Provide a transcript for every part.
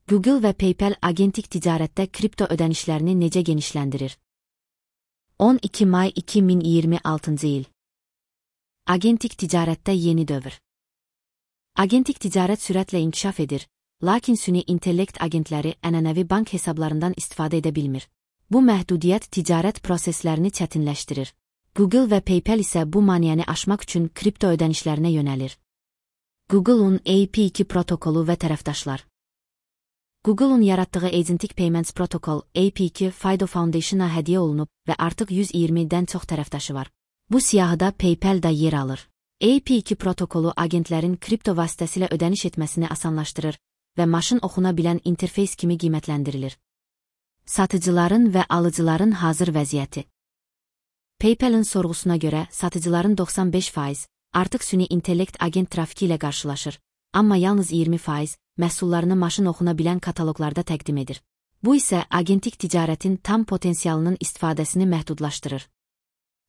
Google və PayPal agentik ticarətdə kripto ödənişlərini necə genişləndirir? 12 may 2026 il. Agentik ticarətdə yeni dövr. Agentik ticarət sürətlə inkişaf edir, lakin süni intellekt agentləri ənənəvi bank hesablarından istifadə edə bilmir. Bu məhdudiyyət ticarət proseslərini çətinləşdirir. Google və PayPal isə bu maneəni aşmaq üçün kripto ödənişlərinə yönəlir. Google'un AP2 protokolu və tərəfdaşlar. Google'un yaratdığı Agentic Payments Protocol AP2 FIDO Foundation'a hədiyyə olunub və artıq 120-dən çox tərəfdaşı var. Bu siyahıda PayPal da yer alır. AP2 protokolu agentlərin kripto vasitəsilə ödəniş etməsini asanlaşdırır və maşın oxuna bilən interfeys kimi qiymətləndirilir. Satıcıların və alıcıların hazır vəziyyəti. PayPal'ın sorğusuna görə satıcıların 95% artıq süni intellekt agent trafiki ilə qarşılaşır, amma yalnız 20% məhsullarını maşın oxuna bilən kataloqlarda təqdim edir. Bu isə agentik ticarətin tam potensialının istifadəsini məhdudlaşdırır.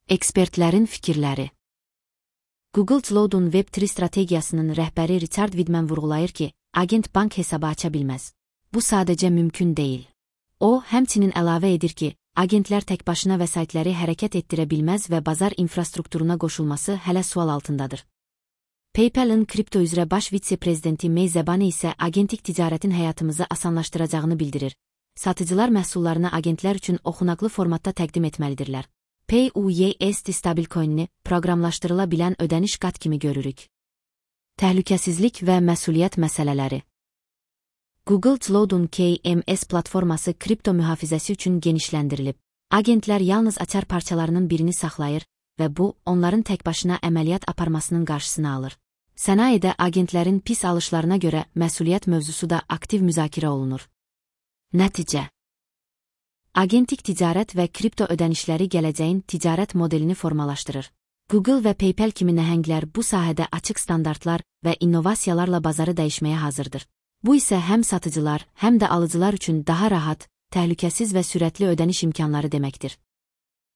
Ekspertlərin fikirləri. Google Cloud'un Web3 strategiyasının rəhbəri Richard Widman vurğulayır ki, agent bank hesabı aça bilməz. Bu sadəcə mümkün deyil. O, həmçinin əlavə edir ki, agentlər təkbaşına vəsaitləri hərəkət etdirə bilməz və bazar infrastrukturuna qoşulması hələ sual altındadır. PayPal'ın kripto üzrə baş vitse-prezidenti May Zebani isə agentik ticarətin həyatımızı asanlaşdıracağını bildirir. Satıcılar məhsullarını agentlər üçün oxunaqlı formatda təqdim etməlidirlər. PayUSD stablecoin'ini proqramlaşdırıla bilən ödəniş qat kimi görürük. Təhlükəsizlik və məsuliyyət məsələləri. Google Cloud'un KMS platforması kripto mühafizəsi üçün genişləndirilib. Agentlər yalnız açar parçalarının birini saxlayır və bu, onların təkbaşına əməliyyat aparmasının qarşısını alır. Sənayedə agentlərin pis alışlarına görə məsuliyyət mövzusu da aktiv müzakirə olunur. Nəticə. Agentik ticarət və kripto ödənişləri gələcəyin ticarət modelini formalaşdırır. Google və PayPal kimi nəhənglər bu sahədə açıq standartlar və innovasiyalarla bazarı dəyişməyə hazırdır. Bu isə həm satıcılar, həm də alıcılar üçün daha rahat, təhlükəsiz və sürətli ödəniş imkanları deməkdir.